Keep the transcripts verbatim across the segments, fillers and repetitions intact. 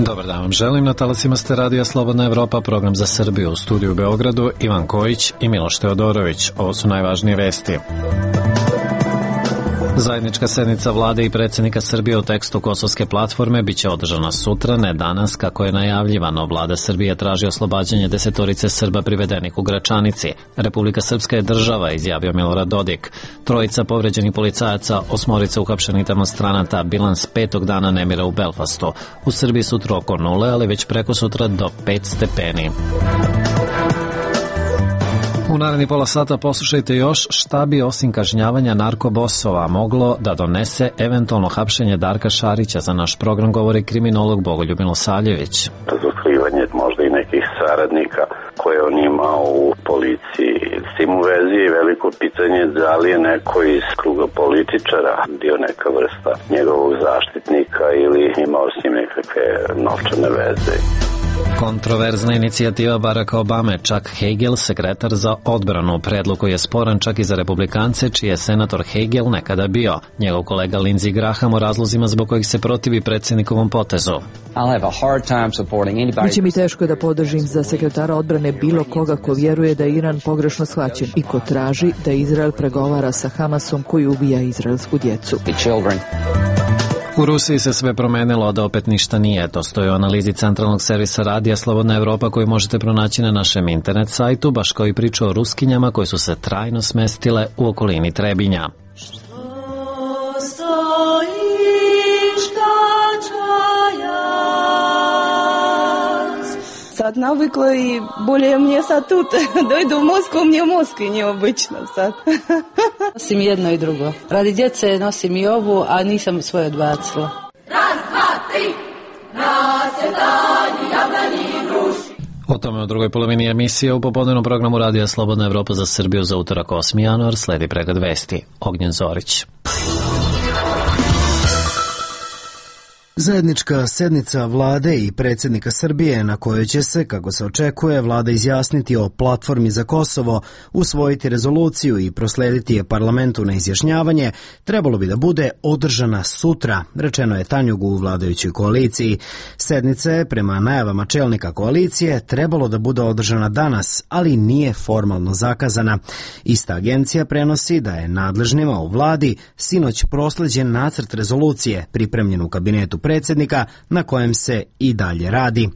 Dobar dan vam želim, na talasima ste Radija Slobodna Evropa, program za Srbiju, u studiju u Beogradu, Ivan Kojić i Miloš Teodorović. Ovo su najvažnije vesti. Zajednička sednica vlade i predsjednika Srbije u tekstu kosovske platforme biće održana sutra, ne danas, kako je najavljivano. Vlada Srbije traži oslobađanje desetorice Srba privedenih u Gračanici. Republika Srpska je država, izjavio Milorad Dodik. Trojica povređenih policajaca, osmorica uhapšenih demonstranata, bilans petog dana nemira u Belfastu. U Srbiji sutra oko nule, ali već preko sutra do pet stepeni. U naredni pola sata poslušajte još šta bi osim kažnjavanja narkobosova moglo da donese eventualno hapšenje Darka Šarića. Za naš program govori kriminolog Bogoljub Milosavljević. Razotkrivanje možda i nekih saradnika koje on ima u policiji. S tim u vezi je veliko pitanje da li je neko iz kruga političara bio neka vrsta njegovog zaštitnika ili imao s njim nekakve novčane veze. Kontroverzna inicijativa Baracka Obame, Chuck Hagel, sekretar za odbranu. Predlog koji je sporan čak i za republikance, čiji je senator Hagel nekada bio. Njegov kolega Lindsey Graham o razlozima zbog kojih se protivi predsjednikovom potezu. Biće mi teško da podržim za sekretara odbrane bilo koga ko vjeruje da je Iran pogrešno shvaćen i ko traži da Izrael pregovara sa Hamasom koji ubija izraelsku djecu. U Rusiji se sve promenilo, da opet ništa nije. To stoji u analizi centralnog servisa Radija Slobodna Evropa koju možete pronaći na našem internet sajtu, baš kao i priča o Ruskinjama koje su se trajno smestile u okolini Trebinja. Sad navikla i bolje мне sad тут. Dojdu u Moskvu, мне u Moskvi neobično sad. Nosim jedno i drugo. Radi djece nosim i ovu, a nisam svoje odbacila. Raz, dva, tri, nasjedani, jablani, gruši. O tome u drugoj polovini emisije u popodnevnom programu Radija Slobodna Evropa za Srbiju za utorak osmi januar sledi pregled vesti. Ognjen Zorić. Zajednička sednica vlade i predsjednika Srbije na kojoj će se, kako se očekuje, vlada izjasniti o platformi za Kosovo, usvojiti rezoluciju i proslediti je parlamentu na izjašnjavanje, trebalo bi da bude održana sutra, rečeno je Tanjugu u vladajućoj koaliciji. Sednica je, prema najavama čelnika koalicije, trebalo da bude održana danas, ali nije formalno zakazana. Ista agencija prenosi da je nadležnima u vladi sinoć prosleđen nacrt rezolucije pripremljen u kabinetu predsjednika na kojem se i dalje radi.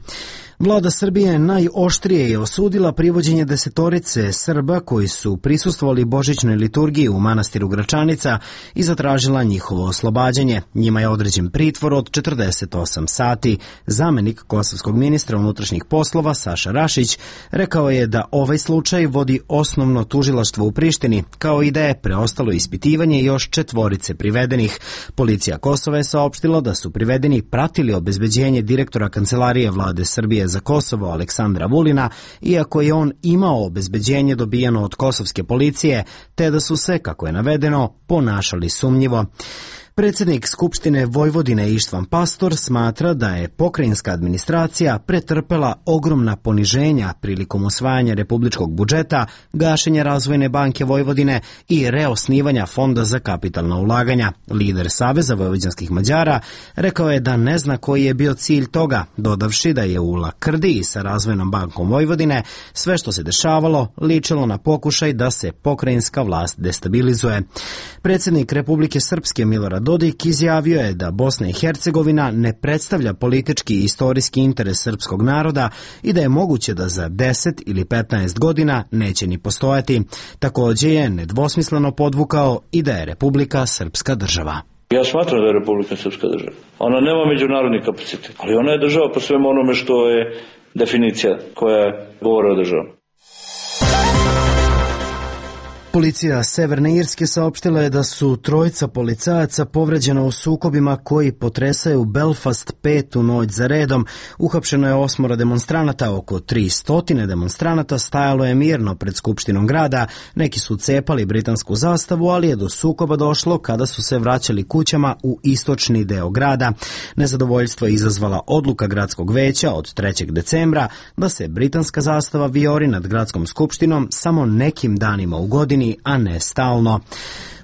Vlada Srbije najoštrije je osudila privođenje desetorice Srba koji su prisustvovali božićnoj liturgiji u manastiru Gračanica i zatražila njihovo oslobađanje. Njima je određen pritvor od četrdeset osam sati. Zamenik kosovskog ministra unutrašnjih poslova Saša Rašić rekao je da ovaj slučaj vodi osnovno tužilaštvo u Prištini, kao i da je preostalo ispitivanje još četvorice privedenih. Policija Kosova je saopštila da su privedeni pratili obezbeđenje direktora Kancelarije vlade Srbije za Kosovo Aleksandra Vulina, iako je on imao obezbeđenje dobijeno od kosovske policije, te da su se, kako je navedeno, ponašali sumnjivo. Predsjednik Skupštine Vojvodine Ištvan Pastor smatra da je pokrajinska administracija pretrpela ogromna poniženja prilikom usvajanja republičkog budžeta, gašenja Razvojne banke Vojvodine i reosnivanja Fonda za kapitalna ulaganja. Lider Saveza vojvođanskih Mađara rekao je da ne zna koji je bio cilj toga, dodavši da je u lakrdiji sa Razvojnom bankom Vojvodine sve što se dešavalo ličilo na pokušaj da se pokrajinska vlast destabilizuje. Predsjednik Republike Srpske Milorad Dodik izjavio je da Bosna i Hercegovina ne predstavlja politički i istorijski interes srpskog naroda i da je moguće da za deset ili petnaest godina neće ni postojati. Također je nedvosmisleno podvukao i da je Republika Srpska država. Ja smatram da je Republika Srpska država. Ona nema međunarodni kapacitet, ali ona je država po svemu onome što je definicija koja govori o državom. Policija Severne Irske saopštila je da su trojica policajaca povređena u sukobima koji potresaju Belfast petu noć za redom. Uhapšeno je osmoro demonstranata, oko tristo demonstranata stajalo je mirno pred Skupštinom grada. Neki su cepali britansku zastavu, ali je do sukoba došlo kada su se vraćali kućama u istočni deo grada. Nezadovoljstvo je izazvala odluka gradskog veća od trećeg decembra da se britanska zastava vijori nad gradskom skupštinom samo nekim danima u godini, godini, a ne stalno.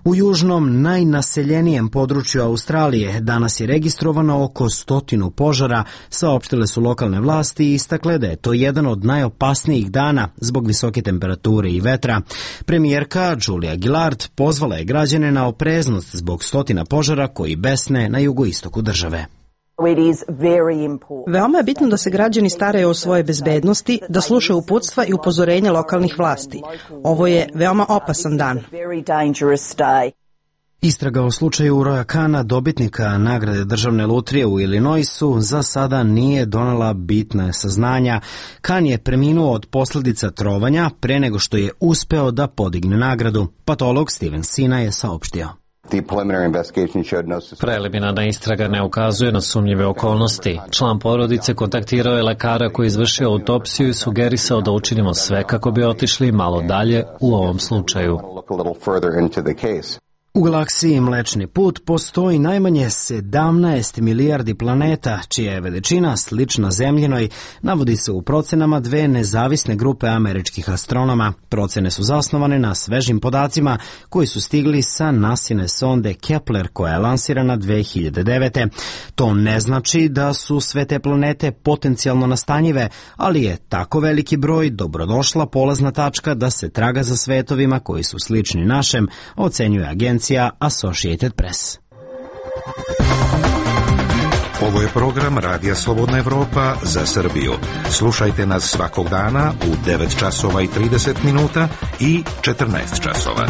U južnom, najnaseljenijem području Australije danas je registrovano oko stotinu požara, saopštile su lokalne vlasti i istakle da je to jedan od najopasnijih dana zbog visoke temperature i vetra. Premijerka Julia Gillard pozvala je građane na opreznost zbog stotina požara koji besne na jugoistoku države. Veoma je bitno da se građani staraju o svojoj bezbednosti, da slušaju uputstva i upozorenja lokalnih vlasti. Ovo je veoma opasan dan. Istraga o slučaju Roya Kana, dobitnika nagrade državne lutrije u Illinoisu, za sada nije donela bitna saznanja. Kan je preminuo od posljedica trovanja pre nego što je uspeo da podigne nagradu. Patolog Steven Sina je saopštio. Preliminarna istraga ne ukazuje na sumnjive okolnosti. Član porodice kontaktirao je lekara koji je izvršio autopsiju i sugerisao da učinimo sve kako bi otišli malo dalje u ovom slučaju. U galaksiji Mlečni put postoji najmanje sedamnaest milijardi planeta, čija je veličina slična Zemljinoj, navodi se u procenama dve nezavisne grupe američkih astronoma. Procene su zasnovane na svežim podacima koji su stigli sa nasine sonde Kepler koja je lansirana dve hiljade devete. To ne znači da su sve te planete potencijalno nastanjive, ali je tako veliki broj dobrodošla polazna tačka da se traga za svetovima koji su slični našem, ocenjuje agencija Associated Press. Ovo je program Radija Slobodna Evropa za Srbiju. Slušajte nas svakog dana u devet časova i trideset minuta i četrnaest časova.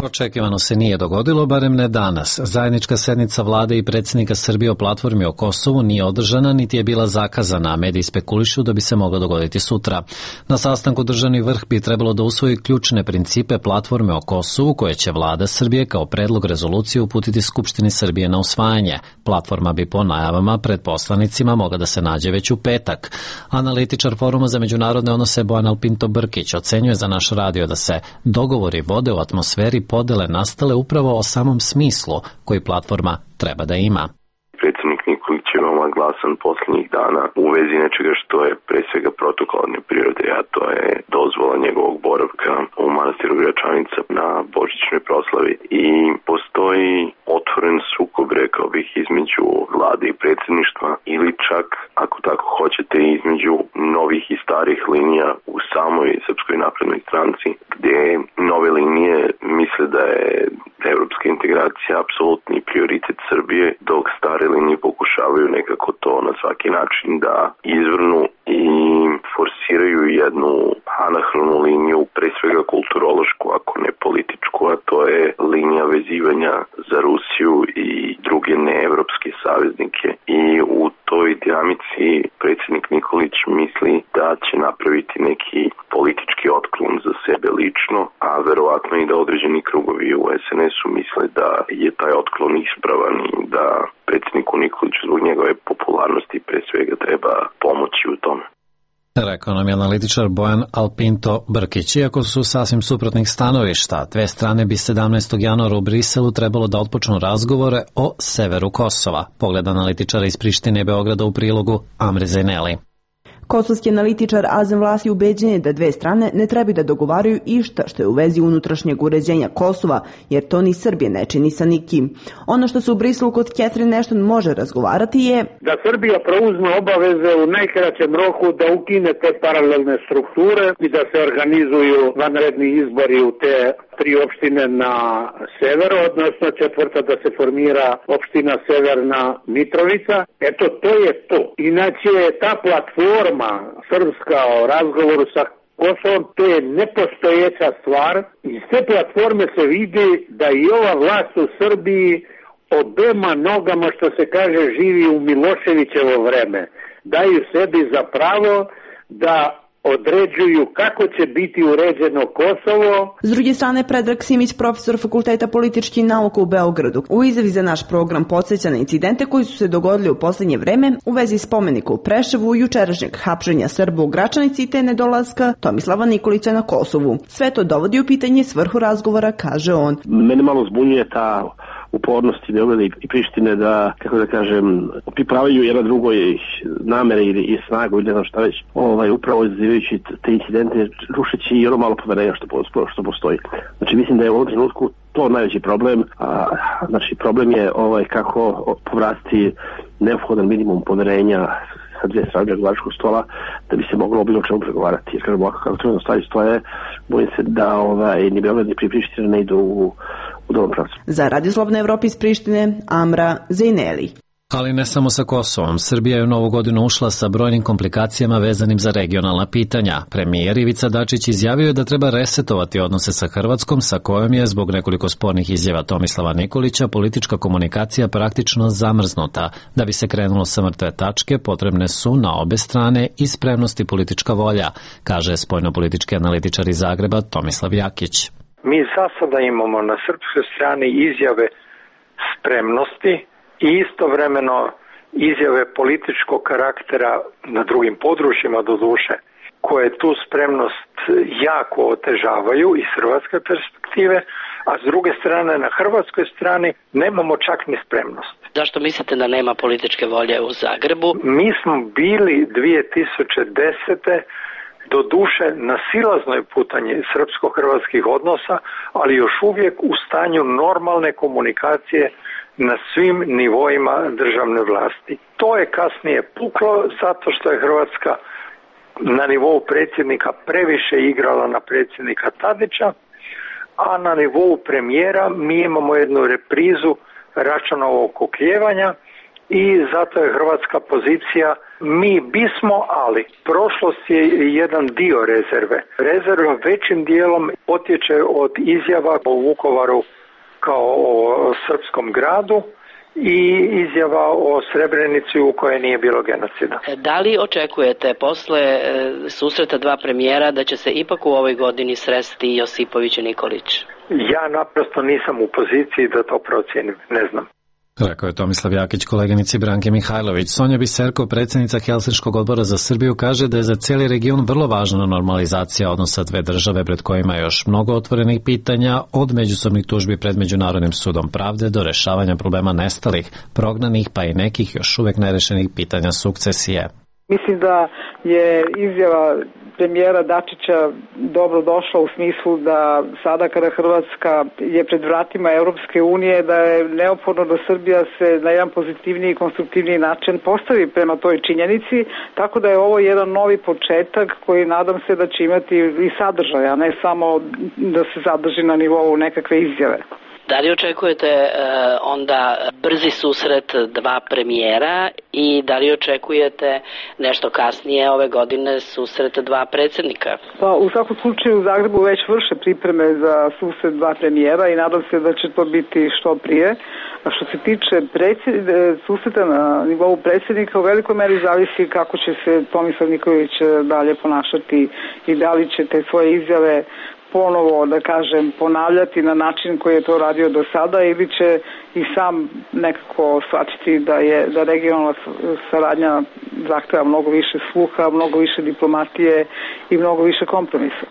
Očekivano se nije dogodilo, barem ne danas. Zajednička sednica vlade i predsjednika Srbije o platformi o Kosovu nije održana, niti je bila zakazana, a mediji spekulišu da bi se moglo dogoditi sutra. Na sastanku državni vrh bi trebalo da usvoji ključne principe platforme o Kosovu, koje će vlada Srbije kao predlog rezolucije uputiti Skupštini Srbije na usvajanje. Platforma bi po najavama pred poslanicima mogla da se nađe već u petak. Analitičar Foruma za međunarodne odnose Bojan Alpinto Brkić ocenjuje za naš radio da se dogovori vode u atmosferi podele nastale upravo o samom smislu koji platforma treba da ima. Predsjednik Nikolić je veoma glasan posljednjih dana u vezi nečega što je pre svega protokolarne prirode, a to je dozvola njegovog boravka u manastiru Gračanica na božićnoj proslavi. I postoji otvoren sukob, rekao bih, između vlade i predsjedništva ili čak, ako tako hoćete, između novih i starih linija u samoj Srpskoj naprednoj stranci, gdje nove linije misle da je evropska integracija apsolutni prioritet Srbije, dok stare linije pokušavaju nekako to na svaki način da izvrnu i forsiraju jednu anahronu liniju, pre svega kulturološku, ako ne političku, a to je linija vezivanja za Rusiju i druge neevropske saveznike. I u toj dinamici predsjednik Nikolić misli da će napraviti neki politički otklon za sebe lično, a verovatno i da određeni krugovi u es en esu misle da je taj otklon ispravan i da predsjedniku Nikoliću zbog njegove popularnosti pre svega treba pomoći u tome. Rekao nam je analitičar Bojan Alpinto Brkić. Iako su sasvim suprotnih stanovišta, dve strane bi sedamnaestog januara u Briselu trebalo da otpočnu razgovore o severu Kosova. Pogled analitičara iz Prištine i Beograda u prilogu Amri Zaineli. Kosovski analitičar Azem Vlasi ubeđen je da dve strane ne treba da dogovaraju išta što je u vezi unutrašnjeg uređenja Kosova, jer to ni Srbije ne čini sa nikim. Ono što se u Briselu kod Catherine Ashton može razgovarati je da Srbija preuzme obaveze u najkraćem roku da ukine te paralelne strukture i da se organizuju vanredni izbori u te tri opštine na severu, odnosno četvrta da se formira opština Severna Mitrovica. Eto, to je to. Inače, ta platforma srpska o razgovoru sa Kosovom, to je nepostojeća stvar. Iz te platforme se vidi da i ova vlast u Srbiji obema nogama, što se kaže, živi u Miloševićevo vreme. Daju sebi za pravo da određuju kako će biti uređeno Kosovo. S druge strane, Predrag Simić, profesor Fakulteta političkih nauka u Beogradu, u izjavi za naš program podsjeća na incidente koji su se dogodili u posljednje vreme u vezi spomenika u Preševu, jučerašnjeg hapšenja Srba u Gračanici te nedolaska Tomislava Nikolića na Kosovu. Sve to dovodi u pitanje svrhu razgovora, kaže on. Mene malo zbunjuje ta upornosti Beograda i Prištine da, kako da kažem, pripravaju jedna drugoj namere ili i snagu ili ne znam šta već, ovaj, upravo izazivajući te incidente, rušeći i ono malo poverenja što, što postoji. Znači mislim da je u ovom trenutku to najveći problem, a znači problem je ovaj kako povratiti neophodan minimum poverenja sa dvije strane pregovaračkog stola da bi se moglo o bilo čemu pregovarati. Jer kažem ovako kako trenutno stvari stoje, bojim se da ovaj, ni Beograd ni Priština ne idu u, u dobrom pravcu. Za Radio Slobodna Evropa iz Prištine, Amra Zejneli. Ali ne samo sa Kosovom. Srbija je u novu godinu ušla sa brojnim komplikacijama vezanim za regionalna pitanja. Premijer Ivica Dačić izjavio je da treba resetovati odnose sa Hrvatskom, sa kojom je, zbog nekoliko spornih izjava Tomislava Nikolića, politička komunikacija praktično zamrznuta. Da bi se krenulo sa mrtve tačke, potrebne su na obe strane i spremnost i politička volja, kaže spoljnopolitički analitičar iz Zagreba Tomislav Jakić. Mi za sada imamo na srpskoj strani izjave spremnosti i istovremeno izjave političkog karaktera na drugim područjima do duše, koje tu spremnost jako otežavaju iz hrvatske perspektive, a s druge strane na hrvatskoj strani nemamo čak ni spremnost. Zašto mislite da nema političke volje u Zagrebu? Mi smo bili dvije tisuće desete do duše na silaznoj putanji srpsko-hrvatskih odnosa, ali još uvijek u stanju normalne komunikacije na svim nivoima državne vlasti. To je kasnije puklo zato što je Hrvatska na nivou predsjednika previše igrala na predsjednika Tadića, a na nivou premijera mi imamo jednu reprizu Račanovog oklijevanja i zato je hrvatska pozicija mi bismo, ali prošlost je jedan dio rezerve. Rezerva većim dijelom potječe od izjava o Vukovaru kao o srpskom gradu i izjava o Srebrenici u kojoj nije bilo genocida. Da li očekujete posle e, susreta dva premijera da će se ipak u ovoj godini sresti Josipović i Nikolić? Ja naprosto nisam u poziciji da to procijenim, ne znam. Rekao je Tomislav Jakić koleginici Branke Mihajlović. Sonja Biserko, predsjednica Helsinškog odbora za Srbiju, kaže da je za cijeli region vrlo važna normalizacija odnosa dve države pred kojima je još mnogo otvorenih pitanja, od međusobnih tužbi pred Međunarodnim sudom pravde do rešavanja problema nestalih, prognanih pa i nekih još uvek nerešenih pitanja sukcesije. Mislim da je izjava premijera Dačića dobro došla u smislu da sada kada Hrvatska je pred vratima Europske unije, da je neophodno da Srbija se na jedan pozitivniji i konstruktivniji način postavi prema toj činjenici, tako da je ovo jedan novi početak koji nadam se da će imati i sadržaj, a ne samo da se zadrži na nivou nekakve izjave. Da li očekujete e, onda brzi susret dva premijera i da li očekujete nešto kasnije ove godine susret dva predsjednika? Pa u svakom slučaju u Zagrebu već vrše pripreme za susret dva premijera i nadam se da će to biti što prije. A što se tiče predsjed, susreta na nivou predsjednika, u velikoj meri zavisi kako će se Tomislav Nikolić dalje ponašati i da li će te svoje izjave ponovo, da kažem, ponavljati na način koji je to radio do sada ili će i sam nekako shvatiti da je da regionalna saradnja zahteva mnogo više sluha, mnogo više diplomatije i mnogo više kompromisa.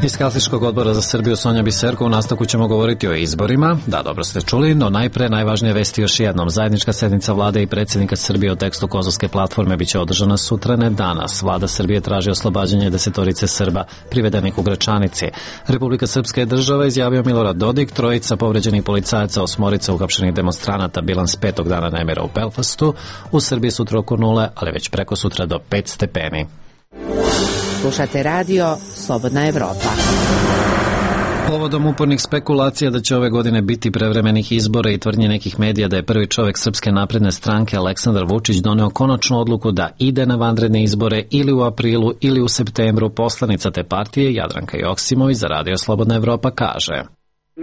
Iz Helsinškog odbora za Srbiju Sonja Biserko, u nastavku ćemo govoriti o izborima. Da, dobro ste čuli, no najpre najvažnije vesti još jednom. Zajednička sednica vlade i predsjednika Srbije o tekstu Kosovske platforme biće održana sutra, ne danas. Vlada Srbije traži oslobađanje desetorice Srba privedenih u Gračanici. Republika Srpska je država, izjavio Milorad Dodik, trojica povređenih policajaca, osmorica uhapšenih demonstranata, bilans petog dana nemira u Belfastu. U Srbiji sutra oko nule, ali već preko sutra do pet stepeni. Slušate radio Slobodna Evropa. Povodom upornih spekulacija da će ove godine biti prevremenih izbora i tvrdnje nekih medija da je prvi čovjek Srpske napredne stranke Aleksandar Vučić doneo konačnu odluku da ide na vanredne izbore ili u aprilu ili u septembru, poslanica te partije Jadranka Joksimović za radio Slobodna Evropa kaže: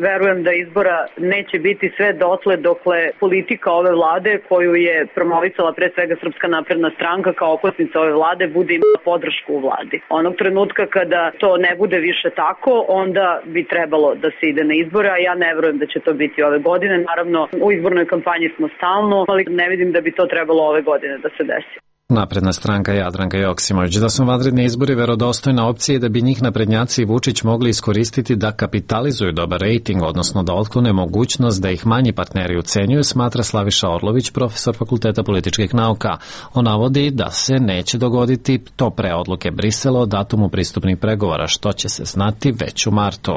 Verujem da izbora neće biti sve dotle dokle politika ove vlade koju je promovisala pre svega Srpska napredna stranka kao okosnica ove vlade bude imala podršku u vladi. Onog trenutka kada to ne bude više tako, onda bi trebalo da se ide na izbore, a ja ne verujem da će to biti ove godine. Naravno, u izbornoj kampanji smo stalno, ali ne vidim da bi to trebalo ove godine da se desi. Napredna stranka Jadranka Joksimović da su vanredni izbori verodostojna opcija i da bi njih naprednjaci i Vučić mogli iskoristiti da kapitalizuju dobar rejting, odnosno da otklone mogućnost da ih manji partneri ucenjuju, smatra Slaviša Orlović, profesor Fakulteta političkih nauka. On navodi da se neće dogoditi to pre odluke Brisela o datumu pristupnih pregovora, što će se znati već u martu.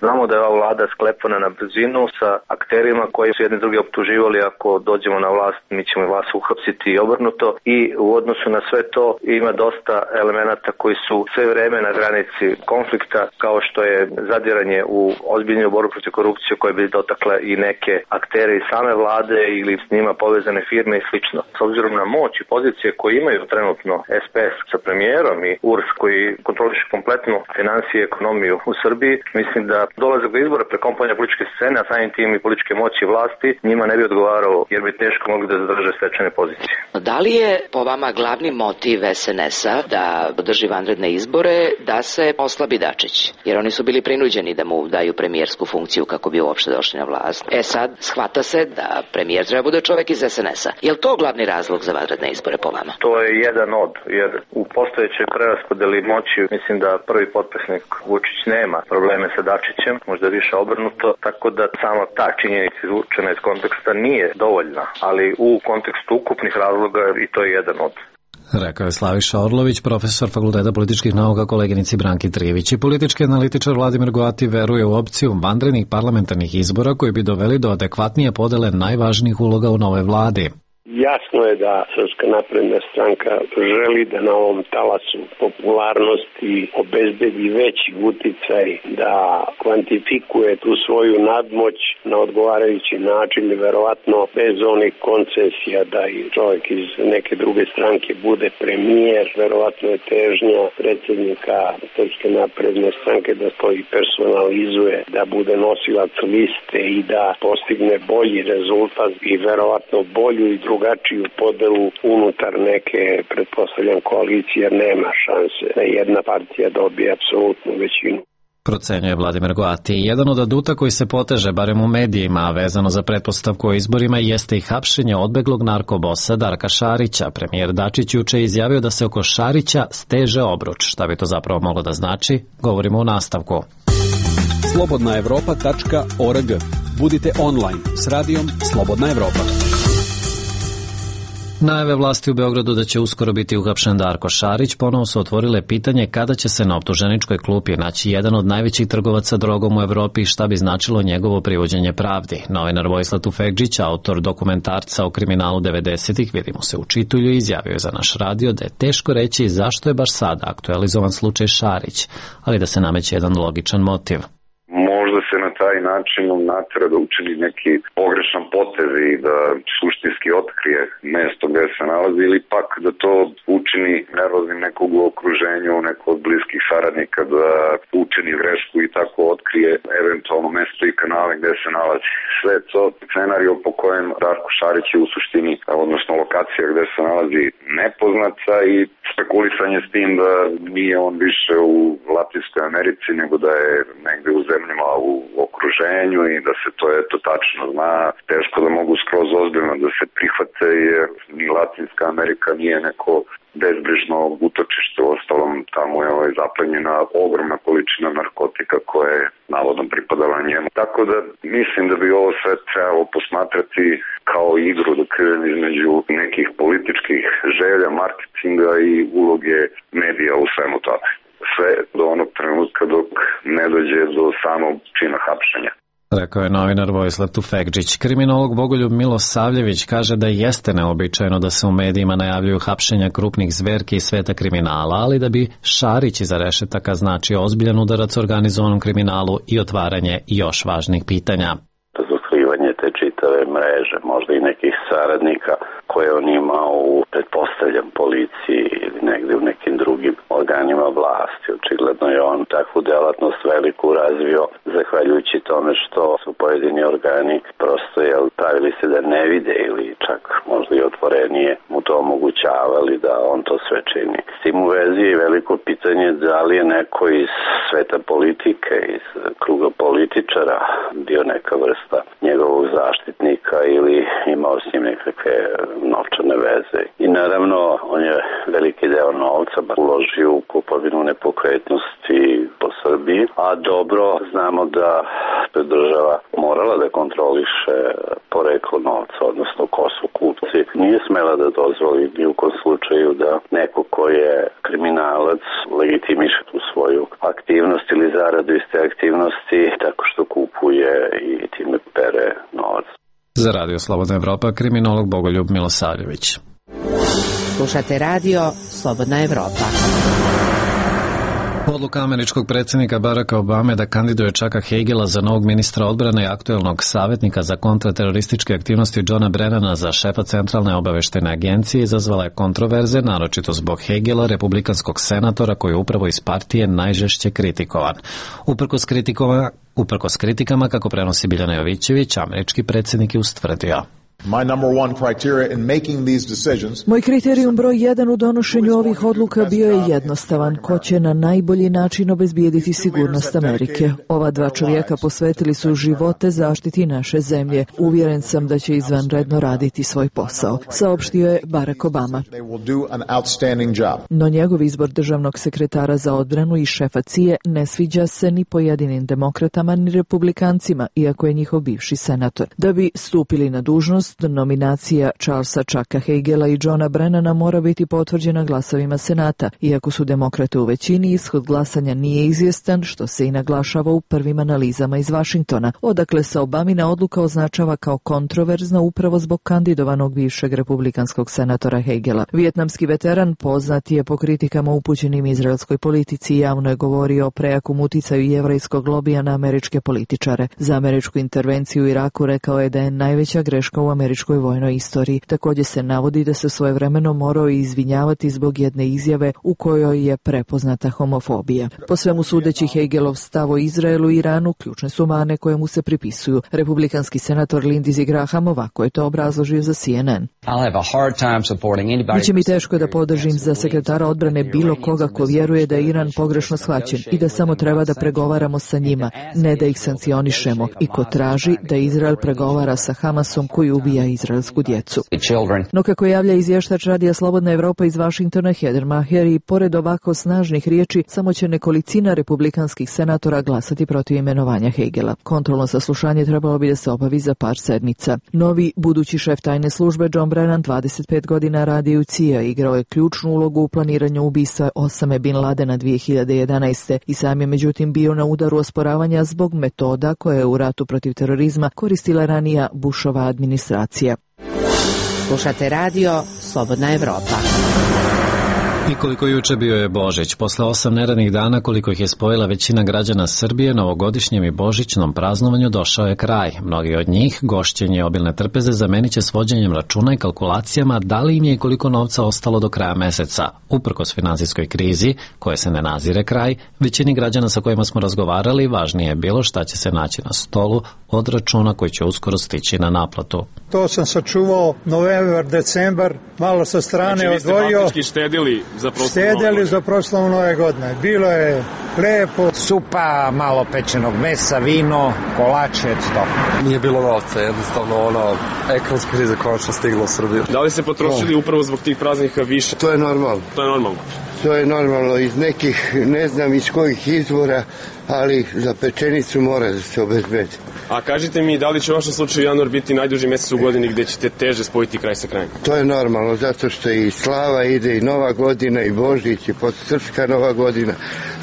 Znamo da je ova vlada sklepana na brzinu sa akterima koji su jedni drugi optuživali ako dođemo na vlast mi ćemo vas uhapsiti i obrnuto, i u odnosu na sve to ima dosta elemenata koji su sve vreme na granici konflikta, kao što je zadiranje u ozbiljnu borbu protiv korupcije koja bi dotakla i neke aktere iz same vlade ili s njima povezane firme i slično. S obzirom na moć i pozicije koje imaju trenutno S P S sa premijerom i U R S koji kontroliše kompletnu finansije i ekonomiju u Srbiji, mislim da dolazak do izbora prekomponja političke scene, a samim tim i političke moći i vlasti, njima ne bi odgovarao jer bi teško mogli da zadrže stečene pozicije. Da li je po vama glavni motiv S N S-a da održi vanredne izbore da se oslabi Dačić? Jer oni su bili prinuđeni da mu daju premijersku funkciju kako bi uopšte došli na vlast. E sad, shvata se da premijer treba bude čovek iz S N S-a. Je li to glavni razlog za vanredne izbore po vama? To je jedan od, jer u postojećoj preraspodeli moći mislim da prvi potpisnik Vučić nema probleme sa Dačićem, možda više obrnuto, tako da samo ta činjenica izvučena iz konteksta nije dovoljna, ali u kontekstu ukupnih razloga i to je jedan od. Rekao je Slaviša Orlović, profesor Fakulteta političkih nauka koleginici Branki Trivić. I politički analitičar Vladimir Goati veruje u opciju vanrednih parlamentarnih izbora koji bi doveli do adekvatnije podele najvažnijih uloga u nove vladi. Jasno je da Srpska napredna stranka želi da na ovom talasu popularnosti obezbedi veći uticaj, da kvantifikuje tu svoju nadmoć na odgovarajući način i verovatno bez onih koncesija da i čovjek iz neke druge stranke bude premijer. Verovatno je težnja predsjednika Srpske napredne stranke da to i personalizuje, da bude nosilac liste i da postigne bolji rezultat i verovatno bolju i drugu drugačiju podelu unutar neke, pretpostavljam, koalicije, nema šanse da jedna partija dobije apsolutnu većinu. Procenjuje Vladimir Goati. Jedan od aduta koji se poteže, barem u medijima, a vezano za pretpostavku o izborima, jeste i hapšenje odbeglog narkobosa Darka Šarića. Premijer Dačić juče je izjavio da se oko Šarića steže obruč. Šta bi to zapravo moglo da znači? Govorimo u nastavku. slobodna evropa tačka org. Budite online s radijom Slobodna Evropa. Najave vlasti u Beogradu da će uskoro biti uhapšen Darko Šarić ponovo su otvorile pitanje kada će se na optuženičkoj klupi naći jedan od najvećih trgovaca drogom u Evropi i šta bi značilo njegovo privođenje pravdi. Novinar Vojislav Tufekdžić, autor dokumentarca o kriminalu devedesetih, vidimo se u čitulju, izjavio je za naš radio da je teško reći zašto je baš sada aktualizovan slučaj Šarić, ali da se nameće jedan logičan motiv. Možda se na taj način natera da učini neki pogrešan potez i da suštinski otkrije mesto gde se nalazi ili pak da to učini nervoznim nekog u okruženju, nekog od bliskih saradnika, da učini grešku i tako otkrije eventualno mesto i kanale gde se nalazi. Sve to scenario po kojem Darko Šarić je u suštini, odnosno lokacija gde se nalazi nepoznata i spekulisanje s tim da nije on više u Latinskoj Americi nego da je negde u zemljama u okruženju i da se to eto tačno zna. Teško da mogu skroz ozbiljno da se prihvate jer ni Latinska Amerika nije neko bezbrižno utočište. Ostalom tamo je ovaj zaplenjena ogromna količina narkotika koja je navodno pripadala njemu. Tako da mislim da bi ovo sve trebalo posmatrati kao igru da krijem između nekih političkih želja, marketinga i uloge medija u svemu tome. Sve do onog trenutka dok ne dođe do samog čina hapšenja. Rekao je novinar Vojislav Tufekdžić. Kriminolog Bogoljub Milosavljević kaže da jeste neobičajno da se u medijima najavljuju hapšenja krupnih zverki iz sveta kriminala, ali da bi Šarić iza rešetaka značio ozbiljan udarac organizovanom kriminalu i otvaranje još važnih pitanja. Razotkrivanje te čitave mreže, možda i nekih saradnika koje on ima u, pretpostavljam, policiji ili negde u nekim drugim organima vlasti. Očigledno je on takvu delatnost veliku razvio zahvaljujući tome što su pojedini organi prosto jel, pravili se da ne vide ili čak možda i otvorenije mu to omogućavali da on to sve čini. S tim u vezi je veliko pitanje da li je neko iz sveta politike, iz kruga političara bio neka vrsta njegovog zaštitnika ili imao s njim nekakve novčane veze. I naravno, on država morala da kontroliše poreklo novca, odnosno ko su kupci. Nije smela da dozvoli ni u kom slučaju da neko ko je kriminalac legitimiše tu svoju aktivnost ili zaradu iz te aktivnosti tako što kupuje i time pere novac. Za Radio Slobodna Evropa, kriminolog Bogoljub Milosavljević. Slušate radio Slobodna Evropa. Odluka američkog predsjednika Baracka Obame da kandiduje Chucka Hagela za novog ministra odbrane i aktuelnog savjetnika za kontraterorističke aktivnosti Johna Brennana za šefa Centralne obaveštene agencije izazvala je kontroverze, naročito zbog Hagela, republikanskog senatora koji je upravo iz partije najžešće kritikovan. Uprkos kritikama, uprkos kritikama, kako prenosi Biljana Jovićević, američki predsjednik je ustvrdio: Moj kriterijum broj jedan u donošenju ovih odluka bio je jednostavan: ko će na najbolji način obezbijediti sigurnost Amerike. Ova dva čovjeka posvetili su živote zaštiti naše zemlje. Uvjeren sam da će izvanredno raditi svoj posao, saopštio je Barack Obama. No njegov izbor državnog sekretara za odbranu i šefa C I A ne sviđa se ni pojedinim demokratama ni republikancima, iako je njihov bivši senator. Da bi stupili na dužnost, nominacija Charlesa Chucka Hagela i Johna Brennana mora biti potvrđena glasovima Senata. Iako su demokrate u većini, ishod glasanja nije izvjestan, što se i naglašava u prvim analizama iz Vašingtona, odakle se Obamina odluka označava kao kontroverzna upravo zbog kandidovanog bivšeg republikanskog senatora Hagela. Vijetnamski veteran poznat je po kritikama upućenim izraelskoj politici i javno je govorio o prejakom uticaju jevrejskog lobija na američke političare. Za američku intervenciju u Iraku rekao je da je najveća greška u američkoj vojnoj istoriji. Također se navodi da se svojevremeno morao izvinjavati zbog jedne izjave u kojoj je prepoznata homofobija. Po svemu sudeći, Hagelov stav o Izraelu i Iranu ključne su mane koje mu se pripisuju. Republikanski senator Lindsey Graham ovako je to obrazložio za C N N. Biće mi teško da podržim za sekretara odbrane bilo koga ko vjeruje da je Iran pogrešno shvaćen i da samo treba da pregovaramo sa njima, ne da ih sankcionišemo, i ko traži da Izrael pregovara sa Hamasom koji ubija izraelsku djecu. No kako javlja izvještač Radija Slobodna Evropa iz Vašingtona Heather Maher, i pored ovako snažnih riječi, samo će nekolicina republikanskih senatora glasati protiv imenovanja Hagela. Kontrolno saslušanje trebalo bi da se obavi za par sedmica. Novi budući šef tajne službe John Brennan, dvadeset pet godina radi u C I A, igrao je ključnu ulogu u planiranju ubistva Osame Bin Ladena dvije hiljade jedanaeste i sam je međutim bio na udaru osporavanja zbog metoda koje je u ratu protiv terorizma koristila ranija Bushova administracija. Slušate radio Slobodna Evropa. I koliko juče bio je Božić. Posle osam neradnih dana, koliko ih je spojila većina građana Srbije, novogodišnjem i božićnom praznovanju došao je kraj. Mnogi od njih gošćenje obilne trpeze zamenit će s vođenjem računa i kalkulacijama da li im je i koliko novca ostalo do kraja meseca. Uprkos finansijskoj krizi, koje se ne nazire kraj, većini građana sa kojima smo razgovarali važnije je bilo šta će se naći na stolu od računa koji će uskoro stići na naplatu. To sam sačuvao novembar, decembar, malo sa strane znači, odvojio. Znači vi ste faktički štedili za proslavu Štedili za proslavu nove godine. Bilo je lepo. Supa, malo pečenog mesa, vino, kolače, to. Nije bilo novca, jednostavno ono, ekonomska kriza konačno stigla u Srbiju. Da li se potrošili no. upravo zbog tih praznika više? To je normalno. To je normalno. To je normalno iz nekih, ne znam iz kojih izvora, ali za pečenicu mora da se obezbedi. A kažite mi, da li će u vašem slučaju januar biti najduži mjesec u godini gdje ćete teže spojiti kraj sa krajem? To je normalno, zato što i slava ide i nova godina i Božić i srpska nova godina.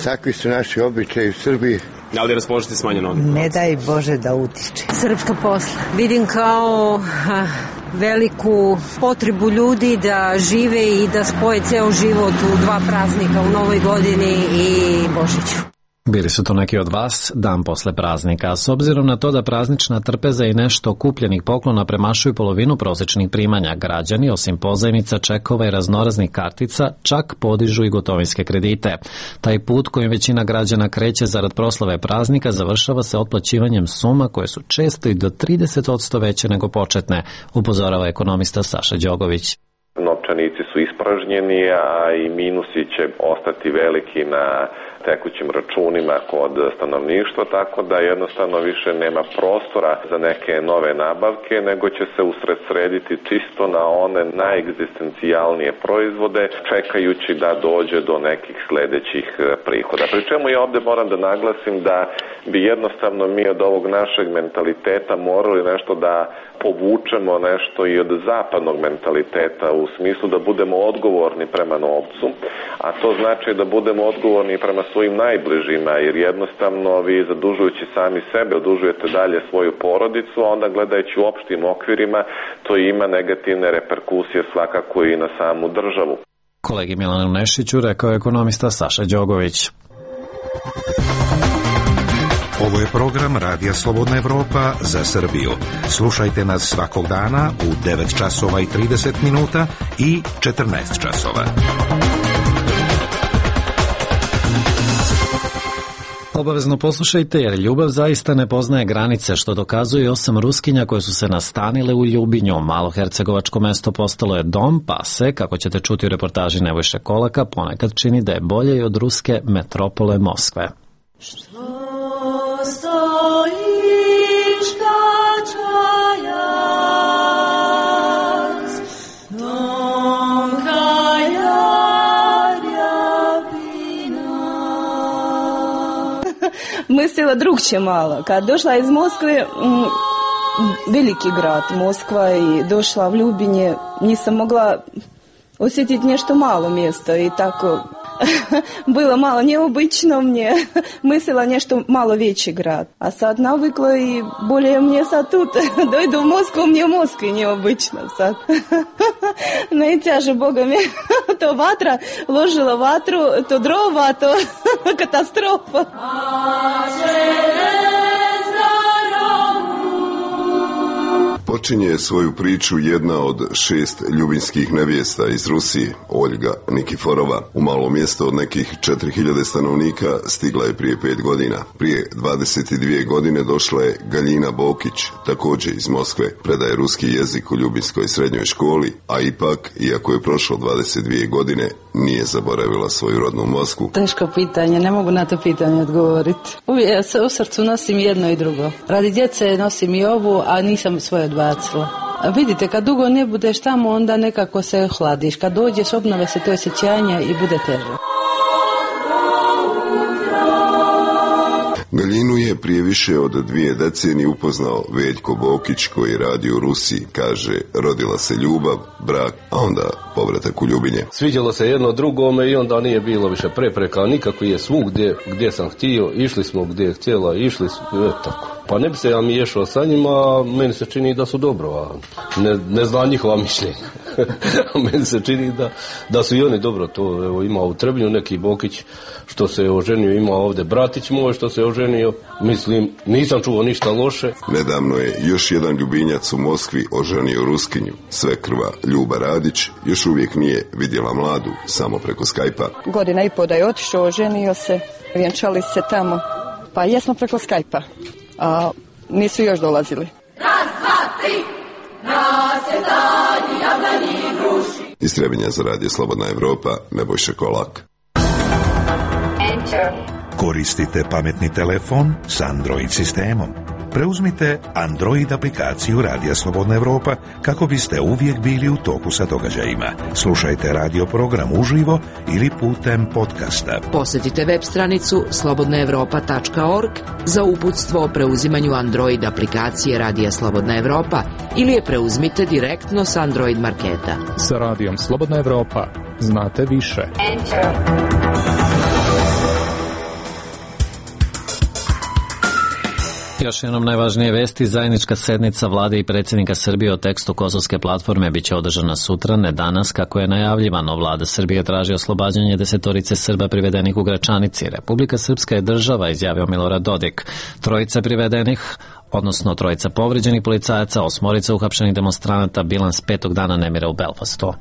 Takvi su naši običaji u Srbiji. Da li raspoložite smanjeno? Ne daj Bože da utiče. Srpska posla. Vidim kao ha, veliku potrebu ljudi da žive i da spoje ceo život u dva praznika, u Novoj godini i Božiću. Bili su to neki od vas dan posle praznika. S obzirom na to da praznična trpeza i nešto kupljenih poklona premašuju polovinu prosječnih primanja, građani, osim pozajmica, čekova i raznoraznih kartica, čak podižu i gotovinske kredite. Taj put kojim većina građana kreće zarad proslave praznika završava se otplaćivanjem suma koje su često i do trideset posto veće nego početne, upozorava ekonomista Saša Đogović. Novčanici su ispražnjeni, a i minusi će ostati veliki na tekućim računima kod stanovništva, tako da jednostavno više nema prostora za neke nove nabavke, nego će se usredsrediti čisto na one najegzistencijalnije proizvode, čekajući da dođe do nekih sledećih prihoda. Pri čemu ja ovde moram da naglasim da bi jednostavno mi od ovog našeg mentaliteta morali nešto da povučemo nešto i od zapadnog mentaliteta u smislu da budemo odgovorni prema novcu, a to znači da budemo odgovorni prema svojim najbližima, jer jednostavno vi zadužujući sami sebe odužujete dalje svoju porodicu, a onda gledajući u opštim okvirima to ima negativne reperkusije svakako i na samu državu. Kolegi Milanu Nešiću rekao je ekonomista Saša Đogović. Ovo je program Radija Slobodna Evropa za Srbiju. Slušajte nas svakog dana u devet časova i trideset minuta i četrnaest časova. Obavezno poslušajte jer ljubav zaista ne poznaje granice, što dokazuje osam Ruskinja koje su se nastanile u Ljubinju. Malohercegovačko mesto postalo je dom, pa se, kako ćete čuti u reportaži Nebojše Kolaka, ponekad čini da je bolje i od ruske metropole Moskve. Stojiš kačajac, domka Jarjavina. Mislila drugče malo. Kad došla iz Moskve, m, veliki grad Moskva, i došla u Ljubinje, nisam mogla osjetiti nešto malo mjesto i tako bilo malo neobično mnje. Mislila nešto malo veći grad. A sad navikla i bolje mnje sad tu. Dojdu u Moskvu, mnje u Moskvi neobično sad. Najteže, Boga mi, to vatra, ložila vatru, to drova, to katastrofa. Počinje svoju priču jedna od šest ljubinskih nevjesta iz Rusije, Oljga Nikiforova. U malo mjesto od nekih četiri hiljade stanovnika stigla je prije pet godina. Prije dvadeset dvije godine došla je Galjina Bokić, također iz Moskve. Predaje ruski jezik u Ljubinskoj srednjoj školi, a ipak, iako je prošlo dvadeset dvije godine, nije zaboravila svoju rodnu Moskvu. Teško pitanje, ne mogu na to pitanje odgovoriti. Uvijek se u srcu nosim jedno i drugo. Radi djece nosim i ovu, a nisam svoje odbacila. A vidite, kad dugo ne budeš tamo, onda nekako se hladiš. Kad dođeš, obnove se to osjećanje i bude teže. Galjinu je prije više od dvije decenije upoznao Veljko Bokić, koji radi u Rusiji. Kaže, rodila se ljubav, brak, a onda povratak u Ljubinje. Sviđalo se jedno drugome i onda nije bilo više prepreka, nikako je svugdje gdje sam htio, išli smo gdje je htjela, išli smo, e, tako. Pa ne bi se ja miješao sa njima, meni se čini da su dobro, a ne, ne znam njihova mišljenja. Meni se čini da, da su i oni dobro. To evo, ima u Trebnju neki Bokić što se oženio, ima ovdje bratić moj što se oženio. Mislim, nisam čuo ništa loše. Nedavno je još jedan Ljubinjac u Moskvi oženio Ruskinju. Svekrva Ljuba Radić još uvijek nije vidjela mladu, samo preko Skype-a. Godina i po da je otišao, oženio se, vjenčali se tamo. Pa jesmo preko Skype-a, a nisu još dolazili. Raz, dva, tri, nas je danji, jablanji i gruši. Iz Trebinja za Radio Slobodna Evropa, Nebojša Kolak. Enter. Koristite pametni telefon s Android sistemom. Preuzmite Android aplikaciju Radija Slobodna Evropa kako biste uvijek bili u toku sa događajima. Slušajte radio program uživo ili putem podcasta. Posjetite web stranicu slobodna evropa tačka org za uputstvo o preuzimanju Android aplikacije Radija Slobodna Evropa ili je preuzmite direktno s Android marketa. Sa Radijom Slobodna Evropa znate više. Enter. Još jednom najvažnije vesti, zajednička sednica vlade i predsjednika Srbije o tekstu kosovske platforme biće održana sutra, ne danas, kako je najavljivano. Vlada Srbije traži oslobađanje desetorice Srba privedenih u Gračanici. Republika Srpska je država, izjavio Milorad Dodik. Trojica privedenih, odnosno trojica povređenih policajaca, osmorica uhapšenih demonstranata, bilans petog dana nemira u Belfastu.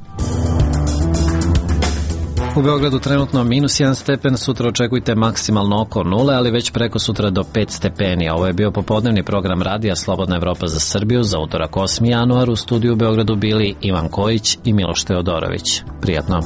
U Beogradu trenutno minus jedan stepen, sutra očekujte maksimalno oko nule, ali već preko sutra do pet stepeni. Ovo je bio popodnevni program Radija Slobodna Evropa za Srbiju za utorak osmi januar. U studiju u Beogradu bili Ivan Kojić i Miloš Teodorović. Prijatno.